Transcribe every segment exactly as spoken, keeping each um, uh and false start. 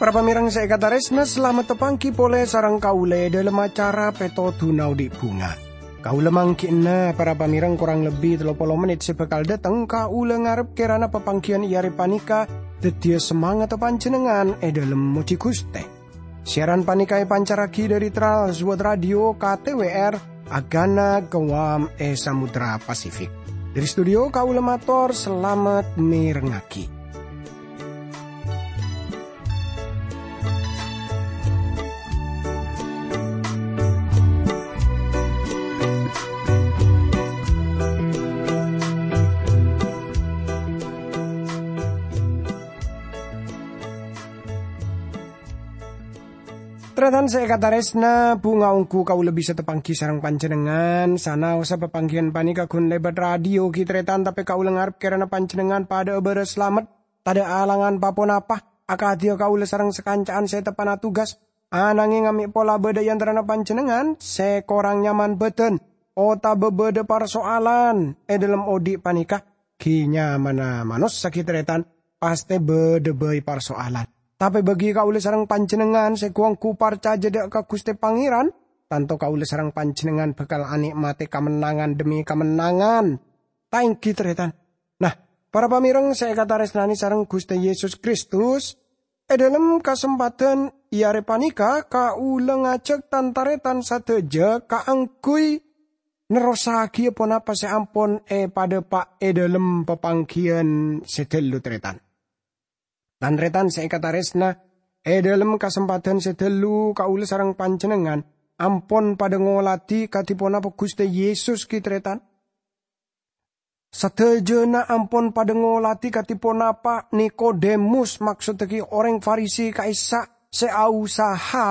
Para pamèrèng sè èkatarèsna, salamet tapangghi polè sareng kaulâ è dhâlem acara Pètodhuna Odi' Bhunga. Kaulâ mangghi'na para pamèrèng korang lebbi tello polo mennit sè bhâkal dâteng. Kaulâ ngarep kèrana papangghiyân è arè panèka dhâddhiyâ samangatta panjhennengngan è dhâlem mojhi Ghustè. Siaran panèka èpancarraghi dhâri Trans World Radio K T W R, Agana Guam è Samudra Pasifik. Dhâri studio kaulâ mator salamet mèrengngaghi. Tarètan sè èkatarèsna, bhunga ongghu kaulâ bisa tapangghi sareng panjhennengngan. Sanaossa papangghiyân panèka ghun lèbât radio ghi, tarètan, tapè kaulâ ngarep kèrana panjhennengngan padhâ'â bârâs salamet, tadhâ' alangan pa-ponapa, akadhiyâ kaulâ sareng sakanca'an sè teppa'na tugas. Ananghing mè' pola bâdâ è antarana panjhennengngan sè korang nyaman bâdân, otabâ bâdâ parso'alan è dhâlem odi' panèka, ghi nyamana manossa ghi, tarètan, pastè bâdâ bhâi parso'alan. Tapè bâgi kaulâ sareng panjhennengngan sè ghu-ongghu parcajâ dhâ' ka Ghustè Pangèran, tanto kaulâ sareng panjhennengngan bhâkal anè'matè kamennangan dhemmi kamennangan. Ta' èngghi, tarètan? Nah, para pamèrèng sè èkatarèsnanè sareng Ghustè Yesus Kristus, è dhâlem kasempadhân è arè panèka kaulâ ngajhâk tan-tarètan sadhâjâ kaangghuy nerrossaghiyâ ponapa sè ampon èpadhâpa' è dhâlem papangghiyân sè ghâllu, tarètan. Tan-tarètan sè èkatarèsna, è dhâlem kasempadhân sè ghâllu kaulâ sareng panjhennengngan ampon padhâ ngoladhi kadhi ponapa Ghustè Yesus ghi, tarètan. Sadhâjâna ampon padhâ ngoladhi kadhi ponapa Nikodemus, maksodda ghi orèng Farisi ka'issa' sè ausaha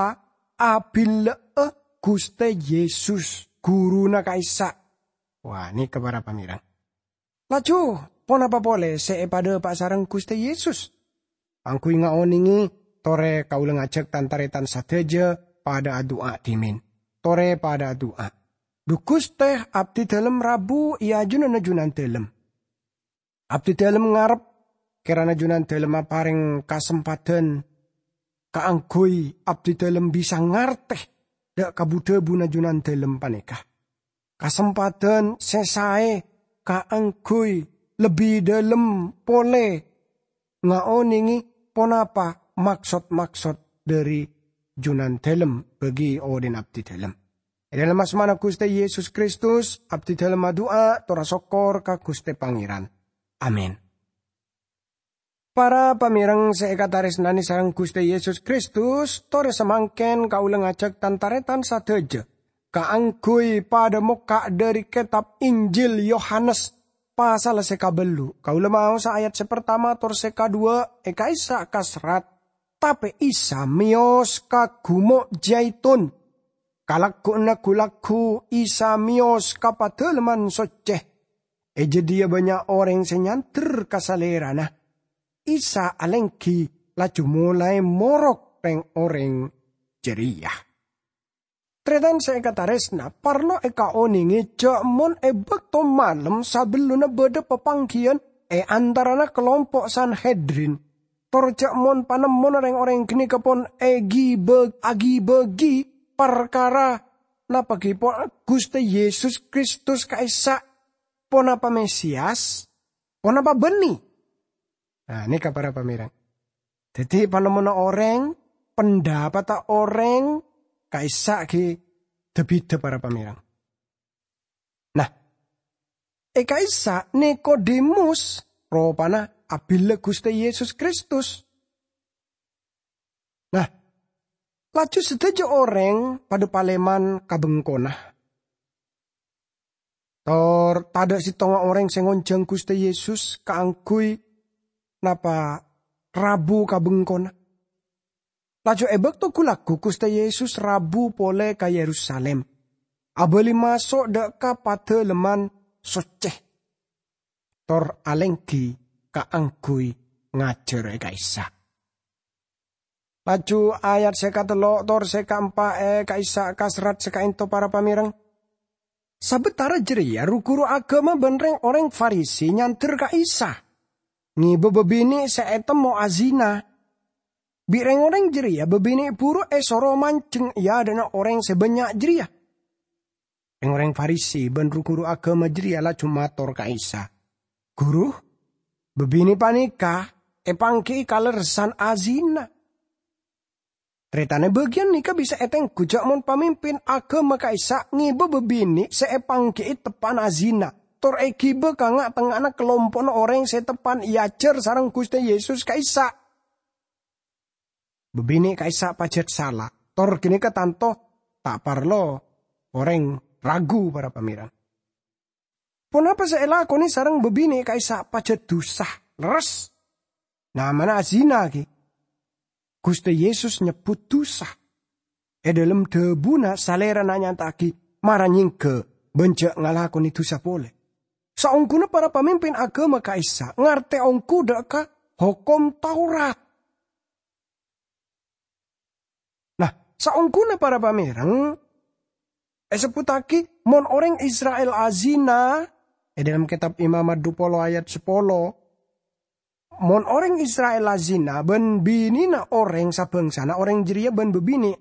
abillâ'â Ghustè Yesus, ghuruna ka'issa'. Wah, nèka para pamèrèng. Laju, ponapa polè sè èpadhâpa' sareng Ghustè Yesus? Angghuy ngaonèngè, torè kaulâ ngajhâk tan-tarètan sadhâjâ padhâ adu'a dhimèn. Torè padhâ adu'a. Dhu Ghustè, abdhidhâlem rabu è ajunanna Junandhâlem. Abdhidhâlem ngarep kèrana Junandhâlem aparèng kasempadhân kaangghuy abdhidhâlem bisa ngartè dhâ' kabu-dhâbuna Junandhâlem panèka. Kasempadhân sè saè kaangghuy lebbi dhâlem polè ngaonèngè ponapa maksod-maksod dhâri Junandhâlem bagi odi'na abdhidhâlem. È dhâlem asmana Ghustè Yesus Kristus, abdhidhâlem adu'a tor asokkor ka Ghustè Pangèran. Amin. Para pamèrèng sè èkatarèsnanè sareng Ghustè Yesus Kristus, torè samangkèn kaulâ ngajhâk tan-tarètan sadhâjâ kaangghuy padhâ mokka' dhâri kètab Injil Yohanes, pasal sè kabâllu'. Kaulâ maosa ayat sè partama tor sè kadhuwâ' è ka'issa' kaserrat, "Tapè Isa mèyos ka Gumo' Jaitun." Kalagghu'na ghu-lagghu Isa mèyos ka Padâlemman Soccè. È jâdiyâ bânnya' orèng sè nyandher ka Salèrana. Isa alèngghi laju molaè morok rèng-orèng jârèya. Tarètan sè èkatarèsna, parlo èkaonèngè jâ' mon è bâkto malem sabellunna bâdâ papangghiyân è antarana kalompo' Sanhedrin, tor jâ' mon panemmona rèng-orèng ghânèka pon èghibâ-, aghibâgi parkara napa ghi pon Ghustè Yesus Kristus ka'issa', ponapa Mesias, ponapa bânnè? Nah, nèka para pamèrèng. Dhâddhi, panemmona orèng, pendapatta orèng, ka'issa' ghi dhâ-bhidhâ para pamèrèng. Nah, è ka'issa' Nikodemus ropana abillâ Ghustè Yesus Kristus. Nah, laju sadhâjâ orèng padhâ palèman ka bengkona. Tor tadâ' sèttonga orèng sè ngonjhâng Ghustè Yesus kaangghuy napa rabu ka bengkona. Laju è bâkto ghu-lagghu Ghustè Yesus rabu polè ka Yerusalim, abâli maso' dhâ' ka Padâlemman Soccè, tor alèngghi kaangghuy ngajhâr è ka'issa'. Laju ayat sè katello' tor sè kaempa' è ka'issa' kaserrat sè ka'ento para pamèreng. Sabâtara jârèya ru-ghuru aghâma bân rèng-orèng Farisi nyandher ka Isa, ngèbâ bâbinè' sè ètemmo azina. Bi' rèng-orèng jârèya bâbinè' buru èsoro manjheng è adâ'na orèng sè bânnya' jârèya. Rèng-orèng Farisi bân ru-ghuru aghâma jârèya laju mator ka Isa, "Ghuru, bâbinè' panèka èpangghi'i kalerressan azina." Tarètanna bâgiyân nèka bisa ètengghu jâ' mon pamimpin aghâma ka'issa' ngèbâ bâbinè' sè èpangghi'i teppa'na azina, tor èghibâ ka nga'-tengnga'anna kalompo'na orèng sè teppa'na èajhâr sareng Ghustè Yesus ka'issa'. Bâbinè' ka'issa' pajhât sala, tor ghânèka tanto ta' parlo orèng ragu, para pamèreng. Ponapa sè èlakonè sareng bâbinè' ka'issa' pajhât dhusa, lerres? Namana azina, ghi. Ghustè Yesus nyebbhut dhusa. È dhâlem dhâbuna Salèrana nyata'aghi mara nyèngghâ bân jâ' ngalakonè dhusa polè. Saongghuna para pamimpin aghâma ka'issa' ngartè ongghu dâ' ka Hokom Taurat. Nah, saongghuna para pamèreng, èsebbhuttaghi, "Mon orèng Isra'il azina," è dhâlem kètab Imamat dhu polo ayat sapolo, "Mon orèng Isra'il azina bân binèna orèng sabhângsana, orèng jârèya bân bâbinè'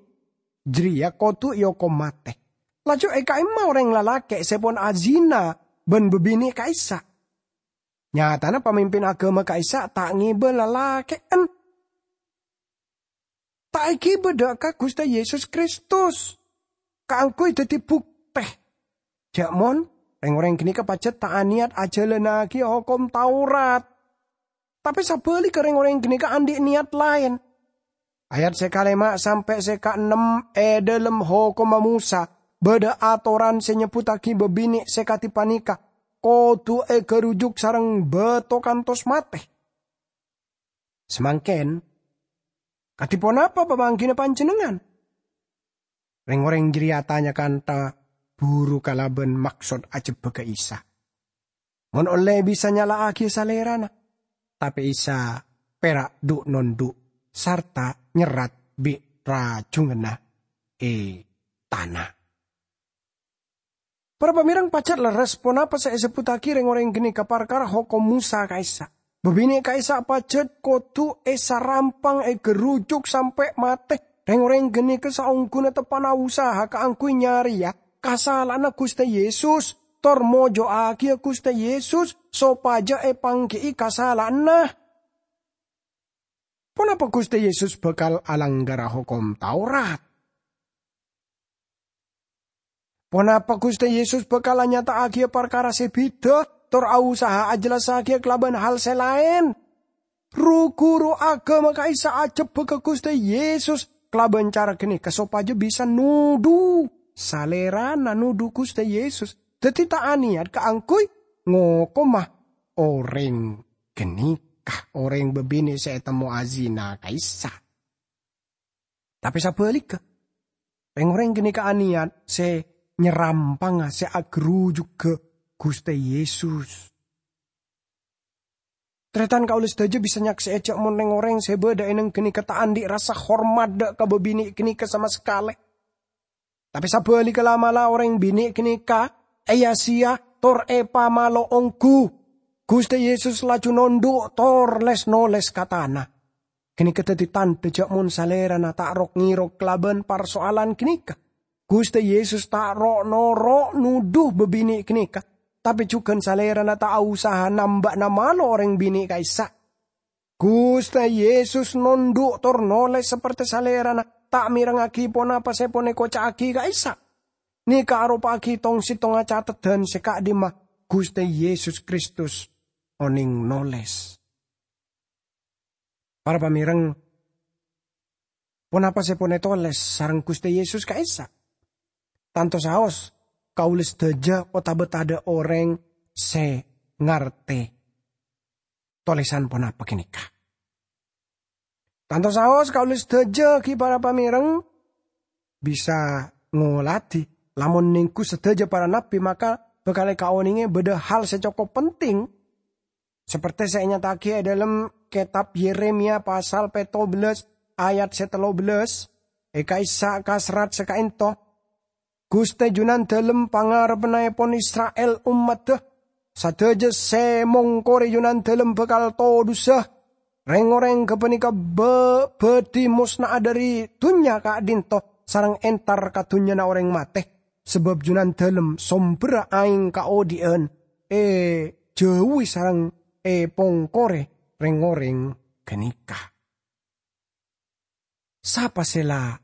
jârèya kodhu èokom matè. Laju è ka'imma orèng lalakè' sè pon azina bân bâbinè' ka'issa'." Nyatana pamimpin aghâma ka'issa' ta' ngèbâ lalakè'en. Ta' èghibâ dâ' ka Ghustè Yesus Kristus kaangghuy dhâddhi buktè jâ' mon rèng-orèng ghânèka pajhât ta' anèyat ajhâlânnaghi Hokom Taurat. Tapè sabhâligghâ rèng-orèng ghânèka andi' nèyat laèn. Ayat sè kalèma' sampè' sè kaennem è dhâlem Hokomma Mosa bâdâ atoran sè nyebbhuttaghi bâbinè' sè kadhi panèka kodhu ègârujuk sareng bâto kantos matè. Samangkèn, kadhi ponapa pamangghina panjhennengngan? Rèng-orèng jârèya atanya kantha buru kalabân maksod ajhebbhâghâ Isa. Mon ollè bisa nyala'aghiyâ Salèrana, tapè Isa pèra' dhu'-nondhu' sarta nyerrat bi' rajunganna è tana. Para pamèreng, pajhât lerres ponapa sè èsebbhuttaghi rèng-orèng ghânèka parkara Hokom Mosa ka'issa'. Bâbinè' ka'issa' pajhât kodhu èsarampang, ègârujuk sampè' matè. Rèng-orèng ghânèka saongghuna teppa'na usaha kaangghuy nyarèya kasala'anna Ghustè Yesus, tor mojo'aghiyâ Ghustè Yesus sopajâ èpangghi'i kasala'anna. Ponapa Ghustè Yesus bhâkal alanggara Hokom Taurat? Ponapa Ghustè Yesus bhâkal anyata'aghiyâ parkara sè bhidhâ, tor ausaha ajhellassaghiyâ kalabân hal sè laèn? Ru-ghuru aghâma ka'issa' ajhebbhâghâ Ghustè Yesus kalabân cara ghânèka sopajâ bisa nodhu Salèrana, nodhu Ghustè Yesus. Dhâddhi ta' anèyat kaangghuy ngokoma orèng ghânèka, orèng bâbinè' sè ètemmo azina ka'issa'. Tapè sabhâligghâ, rèng-orèng ghânèka anèyat sè nyarampanga, sè agârujughâ Ghustè Yesus. Tarètan kaulâ sadhâjâ bisa nyaksè'è jâ' mon rèng-orèng sè bâdâ è nèng ghânèka ta' andi' rassa hormat dâ' ka bâbinè' ghânèka sama sakalè. Tapè sabhâligghâ la'-mala' orèng binè' ghânèka èya-sèya tor èpamalo ongghu. Ghustè Yesus laju nondhu' tor lès-nolès ka tana. Ghânèka dhâddhi tandhâ jâ' mon Salèrana ta' rok-ngèrok kalabân parsoalan ghânèka. Ghustè Yesus ta' ro'-noro' nodhu bâbinè' ghânèka, tapè jhughân Salèrana ta' ausaha nambâ'-namalo orèng binè' ka'issa'. Ghustè Yesus nondhu' tor nolès sapertè Salèrana, ta' mèrengngaghi ponapa sè pon èkoca'aghi ka'issa'. Nèka aropa'aghi tong-settongnga cateddhân sè ka'dimma Ghustè Yesus Kristus onèng nolès. Para pamèreng, ponapa sè pon ètolès sareng Ghustè Yesus ka'issa'? Tanto saos kaulâ sadhâjâ otabâ tadâ' orèng sè ngartè tolèsan ponapa ghânèka. Tanto saos kaulâ sadhâjâ ghi' para pamèreng bisa ngolatè, lamon nèngghu sadhâjâ para nabbhi, maka bhâkal èkaonèngè bâdâ hal sè cokop penting, sapertè sè ènyata'aghi è dhâlem kètab Yeremia pasal pètto bellâs ayat sè tello bellas, è ka'issa' ka serrat sè ka'ento, "Ghustè Junandalem pangarebbannaèpon Isra'il ommaddhâ, sadhâjâ sè mongkorè Junandalem bhâkal todhusa. Rèng-orèng ghâpanèka bâ-, bhâdhi mosna'a dhâri dhunnya ka'dhinto sareng entar ka dhunnyana orèng matè, sabâb Junandalem sombherra aèng kaodhi'ân èjhâuwi sareng èpongkorè rèng-orèng ghânèka." Sapa sè la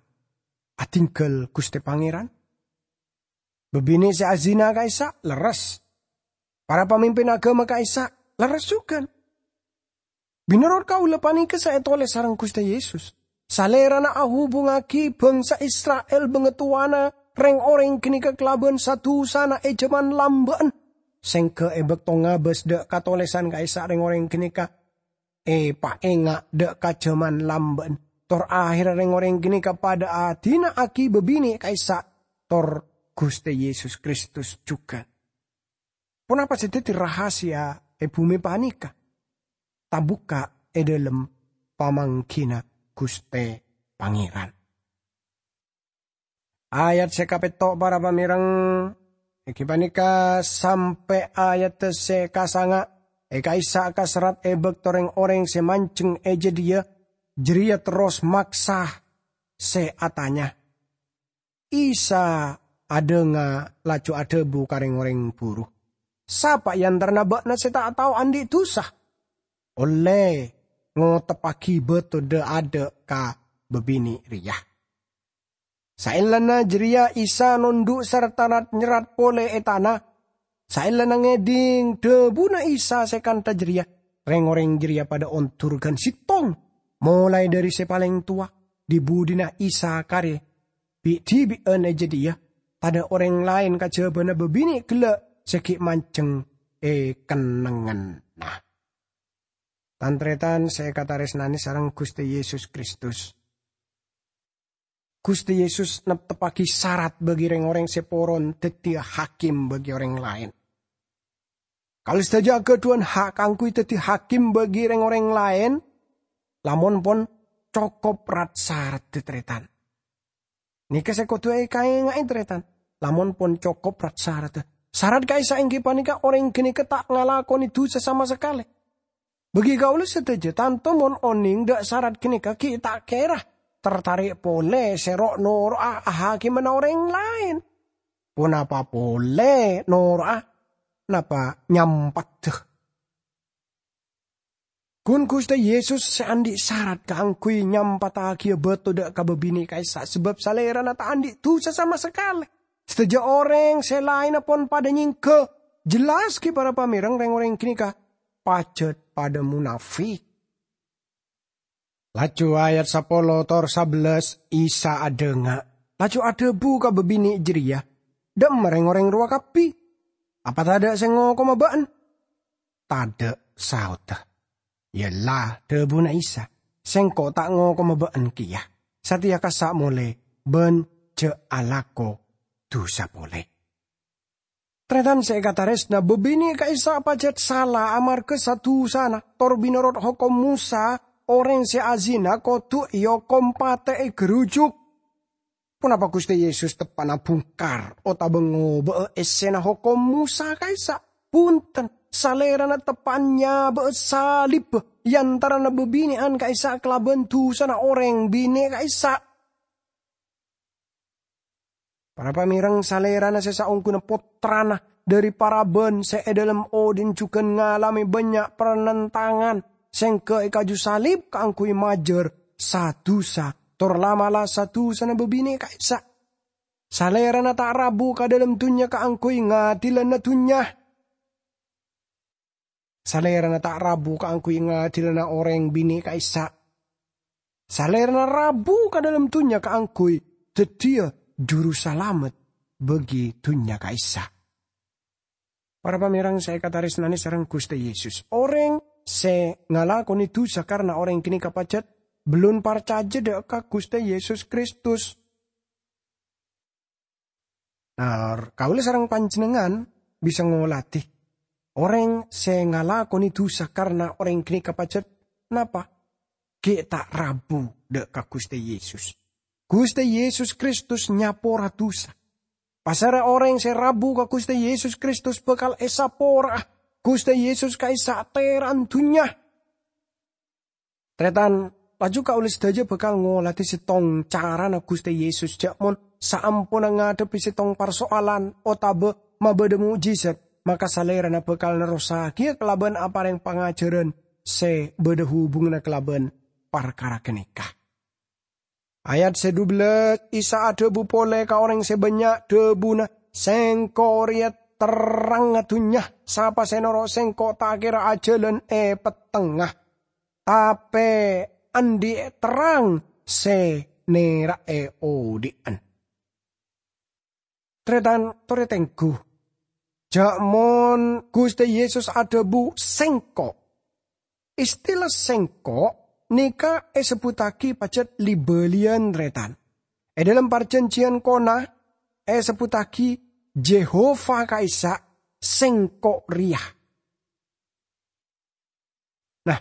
adhingghâl Ghustè Pangèran? Bâbinè' sè azina ka'issa' lerres. Para pamimpin aghâma ka'issa' lerres jhughân. Mènorot kaulâ panèka sè ètolès sareng Ghustè Yesus. Salèrana ahubungngaghi bhângsa Isra'il bângatowana rèng-orèng ghânèka kalabân sa-dhusana è jhâman lambâ'ân. Sèngghâ è bâkto ngabâs dhâ' katolèsan ka'issa' rèng-orèng ghânèka èpaènga' dhâ' ka jhâman lambâ'ân, tor aherra rèng-orèng ghânèka padhâ adina'aghi bâbinè' ka'issa' tor Ghustè Yesus Kristus jhughân. Ponapa sè dhâddhi rahasia è bhumè panèka? Tabukka' è dhâlem pamangghina Ghustè Pangèran. Ayat sè kapètto', para pamèreng, èngghi panèka sampè' ayat sè kasanga', è ka'issa' ka serrat è bâkto rèng-orèng sè manjheng è jâdiyâ jârèya terros maksa sè atanya. Isa adhânga laju adhâbu ka rèng-orèng buru, "Sapa è antarana bâ'na sè ta' tao andi' dhusa? Ollè ngoteppaghi bâto dhâ'-adhâ' ka bâbinè' rèya." Saellana jârèya Isa nondhu' sarta rat-nyerrat polè è tana. Saellana ngèdhing dhâbuna Isa sè kantha jârèya, rèng-orèng jârèya padhâ ondur ghân sèttong, molaè dhâri sè palèng towa, dhi-budhina Isa karè bi'-dhibi'ân è jâdiyâ, tadhâ' orèng laèn kajhâbhâna bâbinè' ghellâ' sè ghi' manjheng è kennengnganna. Tan-tarètan sè èkatarèsnanè sareng Ghustè Yesus Kristus. Ghustè Yesus nepteppaghi sarat bagi rèng-orèng sè poron dhâddhiyâ hakim bagi orèng laèn. Kaulâ sadhâjâ aghâdhuwân ha' kaangghuy dhâddhi hakim bagi rèng-orèng laèn, lamon pon cokop rat-saradda, tarètan. Nèka sè kodhu èkaènga'è, tarètan. Lamon pon cokop rat-saradda. Sarat ka'issa' èngghi panèka orèng ghânèka ta' ngalakonè dhusa sama sakalè. Bagi kaulâ sadhâjâ, tanto mon onèng dhâ' sarat ghânèka ghi' ta' kèra tartarè' polè sè ro'-noro'a ahakimana orèng laèn. Ponapa polè noro'a? Napa nyampaddhâ? Ghun Ghustè Yesus sè andi' sarat kaangghuy nyampattaghiyâ bâto dhâ' ka bâbinè' ka'issa', sabâb Salèrana ta' andi' dhusa sama sakalè. Sadhâjâ orèng sè laènna pon padhâ nyèngghâ. Jelas ghi para pamèreng, rèng-orèng ghânèka pajhât padhâ monafèk. Laju ayat sapolo tor sabellâs, Isa adhânga', laju adhâbu ka bâbinè' jârèya, "Dhâ'emma rèng-orèng rowa kabbhi? Apa tadhâ' sè ngokoma bâ'na?" "Tadhâ'," saodda. "Yâ la," dhâbuna Isa, "Sèngko' ta' ngokoma bâ'na kèya. Satèya kassa' molè bân jhâ' alako dhusa polè." Tarètan sè èkatarèsna, bâbinè' ka'issa' pajhât sala amarghâ sa-dhusana, tor mènorot Hokom Mosa, orèng sè azina kodhu èokom patè ègârujuk. Ponapa Ghustè Yesus teppa'na bhungkar otabâ ngobâ'â èssèna Hokom Mosa ka'issa'? Bhunten, Salèrana teppa'an nyabâ'â salibbhâ è antarana bâbinè'an ka'issa' kalabân dhusana orèng binè' ka'issa'. Para pamèreng, Salèrana sè saongghuna Pottrana dhâri paraban sè è dhâlem odhi'na jhughân ngalamè bânnya' panentangan, sèngghâ è kaju salib kaangghuy majâr sa-dhusa, tor la'-mala' sa-dhusana bâbinè' ka'issa'. Salèrana ta' rabu ka dhâlem dhunnya kaangghuy ngadilana dhunnya. Salèrana ta' rabu kaangghuy ngadilana orèng binè' ka'issa'. Salèrana rabu ka dhâlem dhunnya kaangghuy dhâddhiyâ Jurusalamet bagi dhunnya ka'issa'. Para pamèreng sè èkatarèsnanè sareng Ghustè Yesus, orèng sè ngalakonè dhusa karna orèng ghânèka pajhât bellun parcajâ dhâ' ka Ghustè Yesus Kristus. Nah, kaulâ sareng panjhennengngan bisa ngolatè orèng sè ngalakonè dhusa karna orèng ghânèka pajhât napa? ghi' ta' rabu dha' ka Guste Yesus. Guste Yesus Kristus nyapora dusa. Pasera oreng se rabu ka Guste Yesus Kristus bakal esapora'a Guste Yesus ka'issa' tera'an dunnya. Taretan, laju kaula sadaja bakal ngoladi settong carana Guste Yesus ja' mon saamponna ngadhebbi settong parsoalan otaba mabadha mo'jizat, maka Salerana bakal nerrossagiya kalaban apareng pangajaran se badha hubunganna kalaban parkara ganeka. Ayat se dubellâs, Isa adhabu pole ka oreng se bannya', dhabuna, "Sengko' reya terrangnga dunnya. Sapa se noro' Sengko' ta' kera ajalan e pettengnga, tape andhi' terrang se nera'e odhi'an." Taretan, tore tenggu. Ja' mon Guste Yesus adhabu, "Sengko'." Istilah "sengko'" neka esebbuttagi pajat li-baliyan, taretan. E dhalem Parjanjiyan Kona, esebbuttagi Jehofa ka'issa' "Sengko' reya." Nah,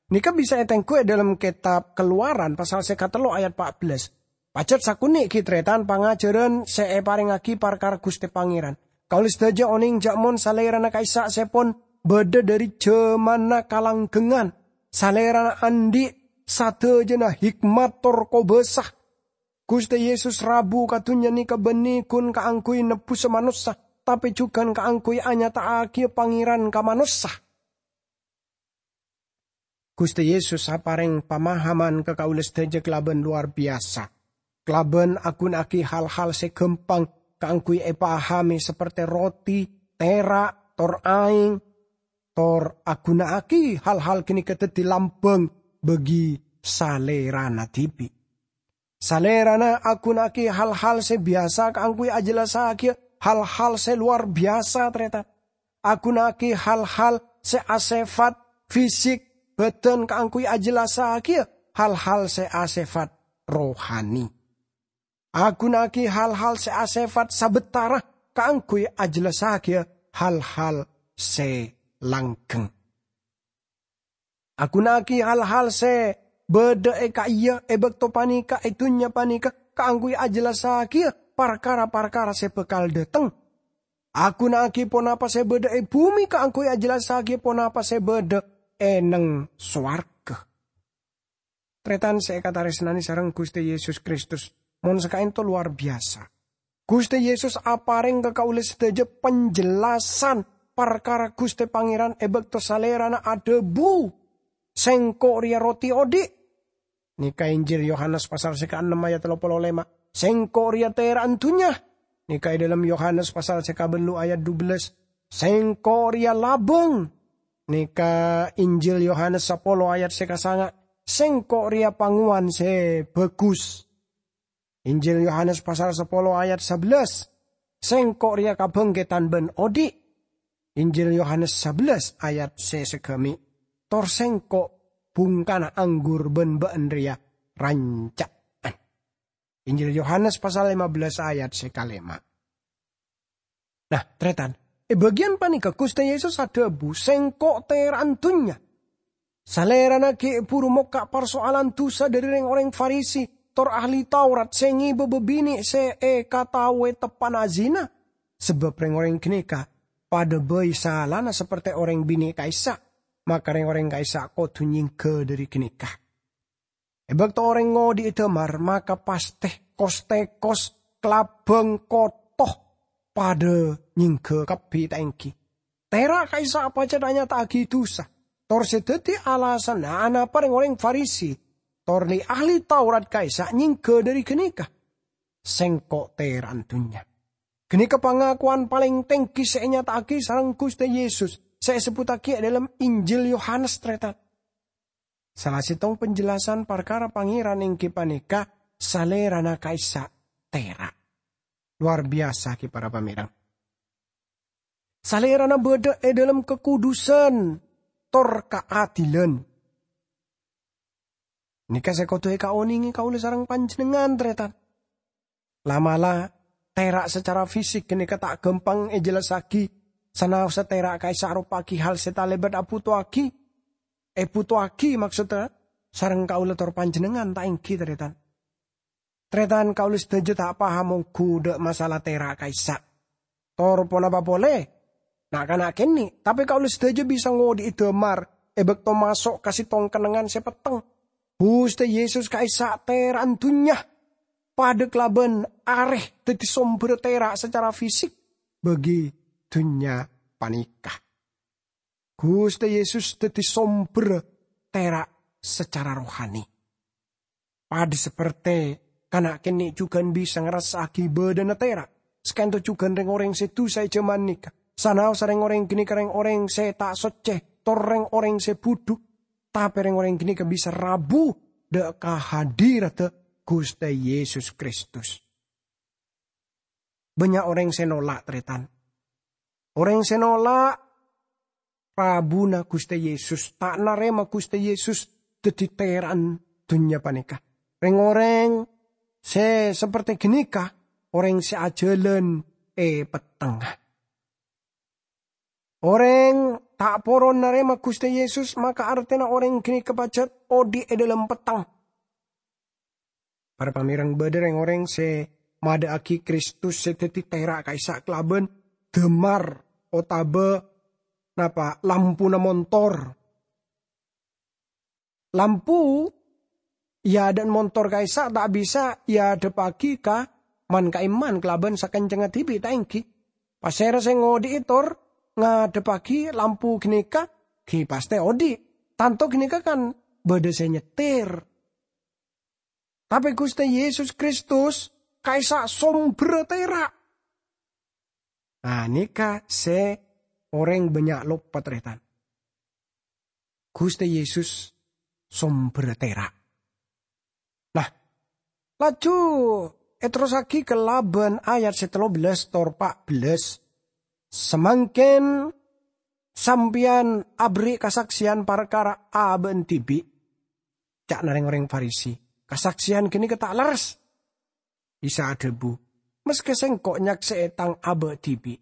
neka bisa etenggu e dhalem Ketab Keluaran pasal se katello ayat pa' bellâs. Pajat sakonne' gi' taretan pangajaran se eparengngagi parkara Guste Pangeran. Kaula sadaja oneng ja' mon Salerana ka'issa' se pon badha dhari jamanna kalanggengngan. Salerana andhi' sadajana hikmat tor kobasa. Guste Yesus rabu ka dunnya neka banne gun kaangguy nebbusa manossa, tape jugan kaangguy anyata'agiya Pangeran ka manossa. Guste Yesus apareng pamahaman ka kaula sadaja kalaban lowar biyasa, kalaban aguna'agi hal-hal se gampang kaangguy epahame, saperte roti, tera', tor aeng, tor aguna'agi hal-hal ganeka daddi lambang bagi Salerana dibi'. Salerana aguna'agi hal-hal se biyasa kaangguy ajellassagiya hal-hal se lowar biyasa, taretan. Aguna'agi hal-hal se asefat fisik badan kaangguy ajellassagiya hal-hal se asefat rohani. Aguna'agi hal-hal se asefat sabatara kaangguy ajellassagiya hal-hal se langgeng. Aguna'agi hal-hal se badha e ka'iya e bakto paneka e dunnya paneka kaangguy ajellassagiya parkara-parkara se bakal dhateng. Aguna'agi ponapa se badha e bume kaangguy ajellassagiya ponapa se badha e neng sowarga. Taretan se ekataresnane sareng Guste Yesus Kristus, mon sakaento lowar biyasa. Guste Yesus apareng ka kaula sadaja panjellasan parkara Guste Pangeran e bakto Salerana adhabu, "Sengko' reya roti odhi'." Neka Injil Yohanes pasal se kaennem ayat tello polo lema, "Sengko' reya tera'an dunnya." Neka e dhalem Yohanes pasal se kabellu ayat dubellâs, "Sengko' reya labang." Neka Injil Yohanes sapolo ayat se kasanga, "Sengko' reya pangowan se bagus." Injil Yohanes pasal sapolo ayat sabellâs, "Sengko' reya kabangketan ban odhi'." Injil Yohanes sabellâs ayat se sagami, "Tor Sengko' bungkana anggur ban ba'en reya ranca'an." Injil Yohanes pasal lima belas ayat se kalema. Nah, taretan, e bagiyan paneka Guste Yesus adhabu, "Sengko' tera'an dunnya." Salerana gi' buru mokka' parsoalan dusa dhari reng-oreng Farisi tor ahli Taurat se ngeba babine' se ekataowe teppa'na azina, sabab reng-oreng ganeka padha bai salana saperte oreng bine' ka'issa', maka reng-oreng ka'issa' kodu nyengga dhari ganeka. E bakto oreng ngodhi'i damar, maka paste kos-tekos, kalabang, koto padha nyengga kabbi, ta' enggi? Tera' ka'issa' pajat anyata'agi dusa, tor se daddi alasanna anapa reng-oreng Farisi tor li-ahli Taurat ka'issa' nyengga dhari ganeka, "Sengko' tera'an dunnya." Ganeka pangakowan paleng tenggi se enyata'agi sareng Guste Yesus se esebbuttagi e dhalem Injil Yohanes, taretan. Sala settong panjellasan parkara Pangeran enggi paneka Salerana ka'issa' tera'. Lowar biyasa, gi, para pamereng. Salerana badha e dhalem kakudusan tor kaadilan. Neka se kodu ekaonenge kaula sareng panjennengngan, taretan. La'-mala', tera' sacara fisik ganeka ta' gampang ejellassagi. Sanaossa tera' ka'issa' aropa'agi hal se talebat abutowagi, ebutowagi, maksodda, sareng kaulâ tor panjhennengngan, ta' èngghi, tarètan? Tarètan, kaulâ sadhâjâ ta' paham ongghu dâ' masalah tèra' ka'issa'. Tor ponapa polè? Na'-kana' kènè', tapè kaulâ sadhâjâ bisa ngodhi'i damar è bâkto maso' ka sèttong kennengngan sè petteng. Ghustè Yesus ka'issa' tèra'an dhunnya, padâ kalabân arè dhâddhi sombherra tèra' sacara fisik bagi dhunnya panèka. Ghustè Yesus dhâddhi sombherra tèra' sacara rohani. Padâ sapertè kana' kènè' jhughân bisa ngarassa'aghi bâdâna tèra', saka'dinto jhughân rèng-orèng sè dusa è jhâman nèka. Sanaossa rèng-orèng ghânèka rèng-orèng sè ta' soccè, tor rèng-orèng sè budhu, tapè rèng-orèng ghânèka bisa rabu dâ' ka hadiradda Ghustè Yesus Kristus. Bânnya' orèng sè nolak, tarètan. Orèng sè nolak rabuna Ghustè Yesus, ta' narèma Ghustè Yesus dhâddhi tèra'an dhunnya panèka. Rèng-orèng sè sapertè ghânèka, orèng sè ajhâlân è pettengnga. Orèng ta' poron narèma Ghustè Yesus, maka artèna orèng ghânèka pajhât odi' è dhâlem petteng. Para pamèreng, bâdâ rèng-orèng sè madâ'aghi Kristus sè dhâddhi tèra' ka'issa' kalabân damar otabâ napa, lampuna montor. Lampu è adâ'na montor ka'issa' ta' bisa èadhebbhâghi ka man-ka'imman kalabân sakencengnga dhibi', ta' èngghi? Pasèra sè ngodhi'i tor ngadhebbhâghi lampu ghânèka? Ghi pastè odi'. Tanto ghânèka kan bâdâ sè nyetir. Tapè Ghustè Yesus Kristus ka'issa' sombherra tèra'. Nah, nèka sè orèng bânnya' loppa, tarètan. Ghustè Yesus sombherra tèra'. Nah, laju èterrossaghi kalabân ayat sè tello bellâs tor pa' bellâs. Samangkèn sampèyan aberri' kasaksèyan parkara abâ'na dhibi', ca'na rèng-orèng Farisi, kasaksèyan ghânèka ta' lerres. Isa adhâbu, "Maskè Sèngko' nyaksè'è Tang abâ' dhibi',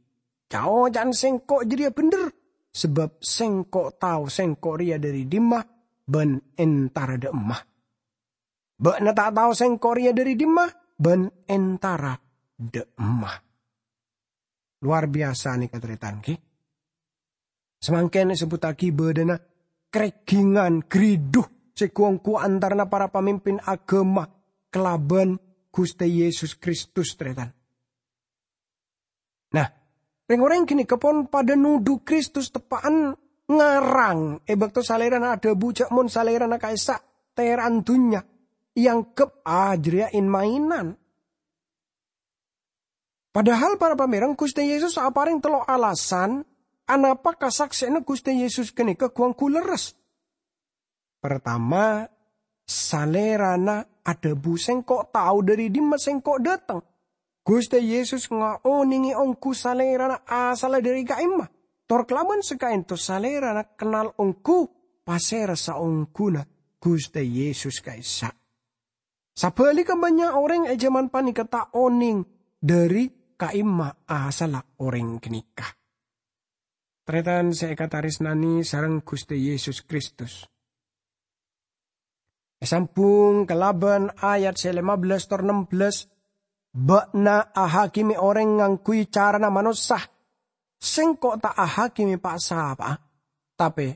ca'-oca'na Sèngko' jârèya bhendher, sabâb Sèngko' tao Sèngko' rèya dâri dimma bân entara dâ' emma. Bâ'na ta' tao Sèngko' rèya dâri dimma bân entara dâ' emma." Lowar biyasa nèka, tarètan, ghi. Samangkèn èsebbhuttaghi bâdâna karègghingngân ghâridhu sè ghu-ongghu antarana para pamimpin aghâma kalabân Ghustè Yesus Kristus, tarètan. Nah, rèng-orèng ghânèka pon padâ nodhu Kristus teppa'an ngarang è bâkto Salèrana adhâbu jâ' mon Salèrana ka'issa' tèra'an dhunnya, èangghep, ah, jârèya in-maènan. Padahal, para pamèreng, Ghustè Yesus aparèng tello' alasan anapa kasaksè'anna Ghustè Yesus ghânèka ghu-ongghu lerres. Partama, Salèrana adhâbu, "Sèngko' tao dâri dimma Sèngko' dâteng." Ghustè Yesus ngaonèngè ongghu Salèrana asalla dâri ka'imma, tor kalabân sakaènto Salèrana kennal ongghu pasèra saongghuna Ghustè Yesus ka'issa'. Sabhâligghâ, bânnya' orèng è jhâman panèka ta' onèng dâri ka'imma asalla orèng ghânèka. Tarètan sè èkatarèsnanè sareng Ghustè Yesus Kristus. Èsambhung kalabân ayat sè lèma bellâs tor nem bellâs, "Bâ'na ahakimè orèng ngangghuy carana manossa. Sèngko' ta' ahakimè pa'-sapa'a. Tapè,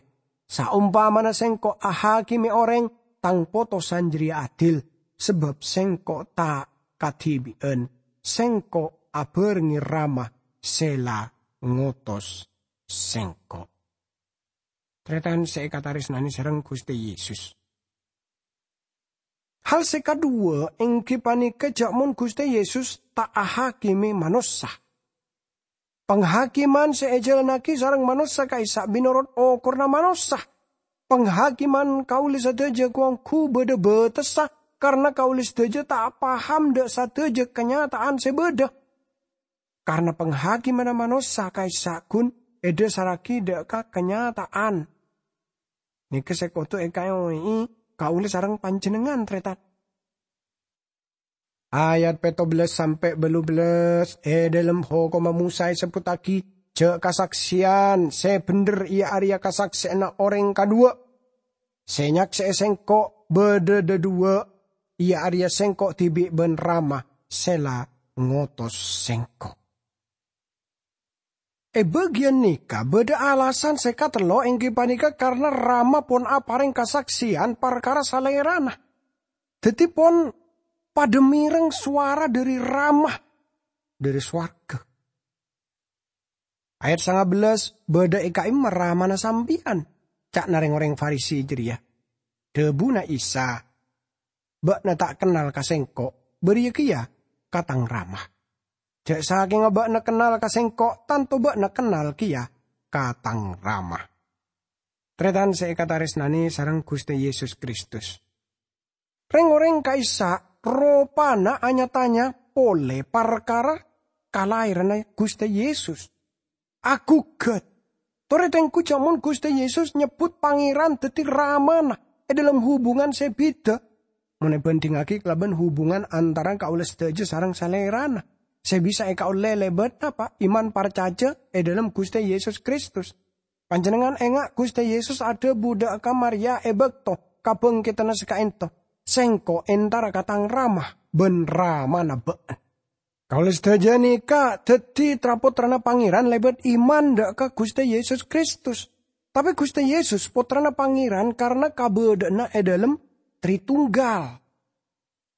saompamana Sèngko' ahakimè orèng, Tang potosan jârèya adil, sabâb Sèngko' ta' kadhibi'ân, Sèngko' abhârengngè Rama sè la ngotos Sèngko'." Tarètan sè èkatarèsnanè sareng Ghustè Yesus. Hal sè kaduwâ' èngghi panèka jâ' mon Ghustè Yesus ta' ahakimè manossa. Panghakiman sè èjhâlânnaghi sareng manossa ka'issa' mènorot okoranna manossa. Panghakiman kaulâ sadhâjâ ghu-ongghu bâdâ bâtessa, karna kaulâ sadhâjâ ta' paham dâ' sadhâjâ kanyata'an sè bâdâ. Karna panghakimanna manossa ka'issa' ghun èdhâsarraghi dâ' ka kanyata'an. Nèka sè kodhu èkaèngè'è kaulâ sareng panjhennengngan, tarètan. Ayat pètto bellâs sampè' bâllu bellâs è dhâlem Hokomma Mosa èsebbhuttaghi jâ' kasaksèyan sè bhendher, iyâ arèya kasaksèyanna orèng kaduwâ'. Sè nyaksè'è Sèngko' Bâdâ dhâduwâ', iyâ arèya Sèngko' dhibi' bân Rama sè la ngotos Sèngko'. È bâgiyân nèka bâdâ alasan sè katello, èngghi panèka karna Rama pon aparèng kasaksèyan parkara Salèrana. Dhâddhi pon padâ mèreng sowara dhâri Rama dhâri sowarghâ. Ayat sanga bellâs, "Bâdâ è ka'imma Ramana sampèyan?" ca'na rèng-orèng Farisi jârèya. Dhâbuna Isa, "Bâ'na ta' kennal ka Sèngko', bâriyâ kèya ka Tang Rama. Jâ' sakènga bâ'na kennal ka Sèngko', tanto bâ'na kennal kèya ka Tang Rama." Tarètan sè èkatarèsnanè sareng Ghustè Yesus Kristus. Rèng-orèng ka'issa' ropana nya-tanya polè parkara kalahèranna Ghustè Yesus. Aghugghât. Torè tèngghu jâ' mon Ghustè Yesus nyebbhut Pangèran dhâddhi Ramana è dhâlem hubungan sè bhidhâ, mon èbhândhingngaghi kalabân hubungan antara kaulâ sadhâjâ sareng Salèrana, sè bisa èkaollè lèbât napa? Iman parcajâ è dhâlem Ghustè Yesus Kristus. Panjhennengngan enga' Ghustè Yesus adhâbu dhâ' ka Maria è bâkto kabhângkèdhânna sè ka'ènto, "Sèngko' entara ka Tang Rama bân Ramana bâ'na." Kaulâ sadhâjâ nèka dhâddhi tra-pottrana Pangèran lèbât iman dhâ' ka Ghustè Yesus Kristus. Tapè Ghustè Yesus Pottrana Pangèran karna kabâdâ'ânna è dhâlem Tritunggal.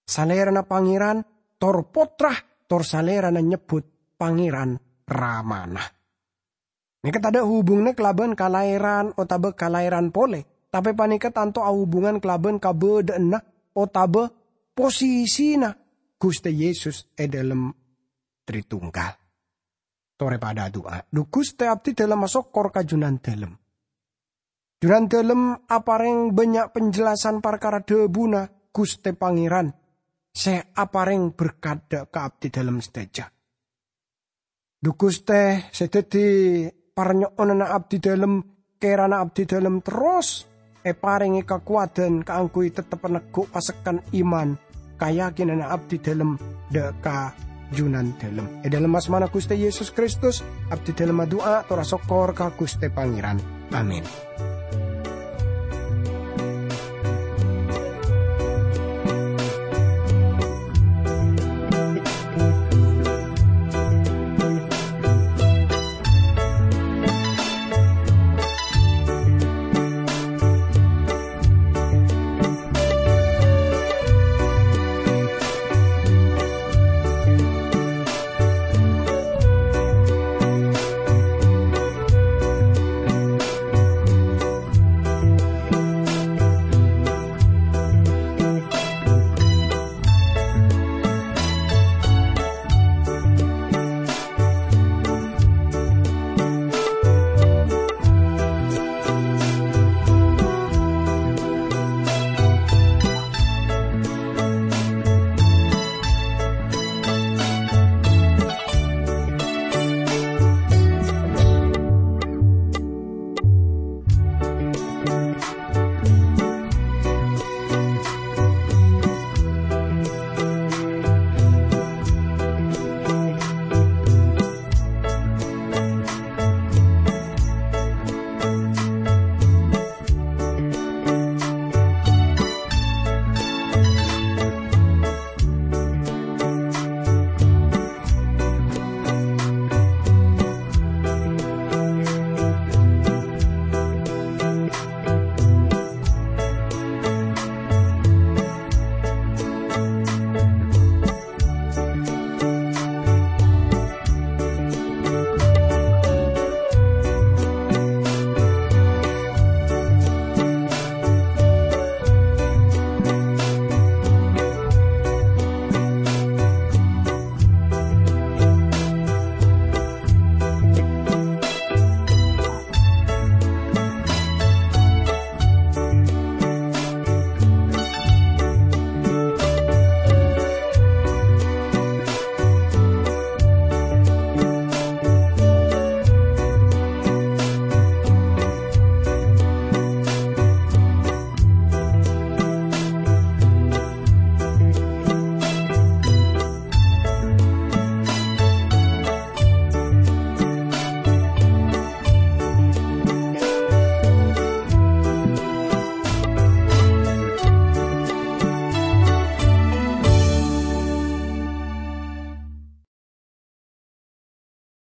Salèrana Pangèran, tor Pottra, tor Salèrana nyebbhut Pangèran Ramana. Nèka tadâ' hubunganna kalabân kalahèran otabâ kalahèran polè, tapè panèka tanto ahubungan kalabân kabâdâ'ânna otabâ posisina Ghustè Yesus è dhâlem Tritunggal. Torè padâ adu'a. Dhu Ghustè, abdhi dhâlem asokkor ka Junandhâlem. Junandhâlem aparèng bânnya' panjelasan parkara dhâbuna Ghustè Pangèran sè aparèng berkat dhâ' ka abdhi dhâlem sadhâjâ. Dhu Ghustè sè dhâddhi parnyo'onanna abdhi dhâlem, kèrana abdhi dhâlem terros èparèngè kakowadhân kaangghuy tettep neggu' pasekkan iman kayakinanna abdhi dhâlem dhâ' ka Junandhâlem. È dhâlem asmana Ghustè Yesus Kristus, abdhi dhâlem adu'a tor asokkor ka Ghustè Pangèran. Amin.